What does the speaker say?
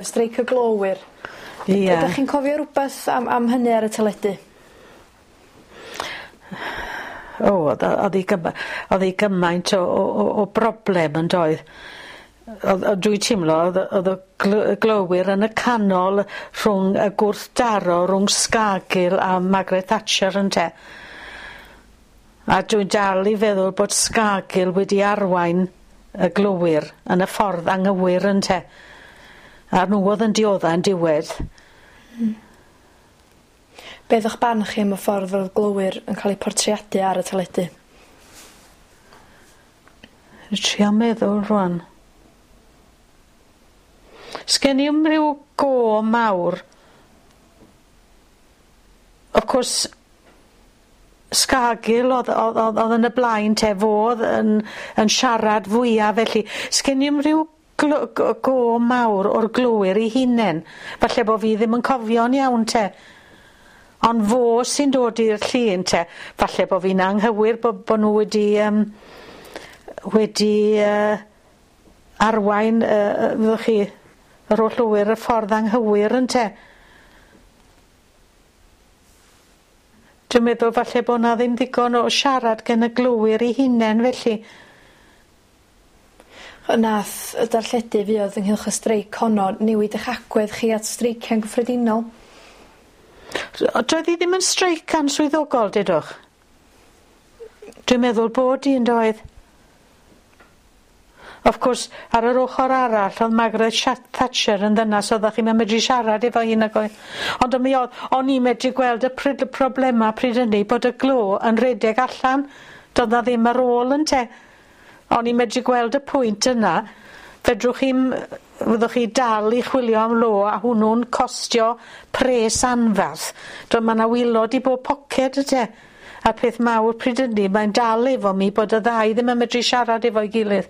Streic y glowyr. Ia. Ydych chi'n cofio rwbeth am hynny ar y teledu? O o'dd o o'dd 'i gyma- o'dd 'i gymaint o broblem yndoedd? O'dd o dwi timlo o'dd y glowyr yn y canol rhwng y gwrthdaro rwng Scargill a Margaret Thatcher ynte? A dwi dal i feddwl bod Scargill wedi arwain y glowyr yn y ffordd anghywir ynte? A nhw o'dd yn diodda yn diwedd. Be' o'dd 'ych barn chi am y ffordd o'dd glowyr yn ca'l eu portreadu ar y teledu? Dwi trio meddwl rŵan. Sgen i'm ryw go mawr. Of course Scargill o'dd o'dd o'dd o'dd yn y blaen te fo o'dd yn siarad fwya felly. Sgen i'm ryw go mawr o'r glowyr 'u hunen. Falle bo' fi ddim yn cofio'n iawn te. Ond fo sy'n dod i'r llun te. Falle bo' fi'n anghywir bo' nw wedi arwain fyddwch chi yr holl lowyr y ffordd anghywir ynte. Dwi'n meddwl falle bo' 'na ddim ddigon o siarad gen y glowyr 'u hunen felly. Nath y darlledu fuodd ynghylch y streic honno newid 'ych agwedd chi at streiciau'n gyffredinol? Doedd hi ddim yn streic answyddogol, dudwch? Dwi'n meddwl bod hi yn doedd. Of course, ar yr ochr arall, oedd Margaret Thatcher yn ddynas oeddech chi'm yn medru siarad efo hi nag oedd. Ond mi oedd, o'n i'n medru gweld y problema pryd hynny bod y glo yn rhedeg allan. Doedd na ddim ar ôl ynte. O'n i'n medru gweld y pwynt yna. Fedrwch chi'm, fyddwch chi dal i chwilio am lo a hwnnw'n costio pres anferth. Doedd ma' 'na waelod i bob poced ynte. A'r peth mawr pryd hynny, mae'n dal efo mi bod y ddau ddim yn medru siarad efo'i gilydd.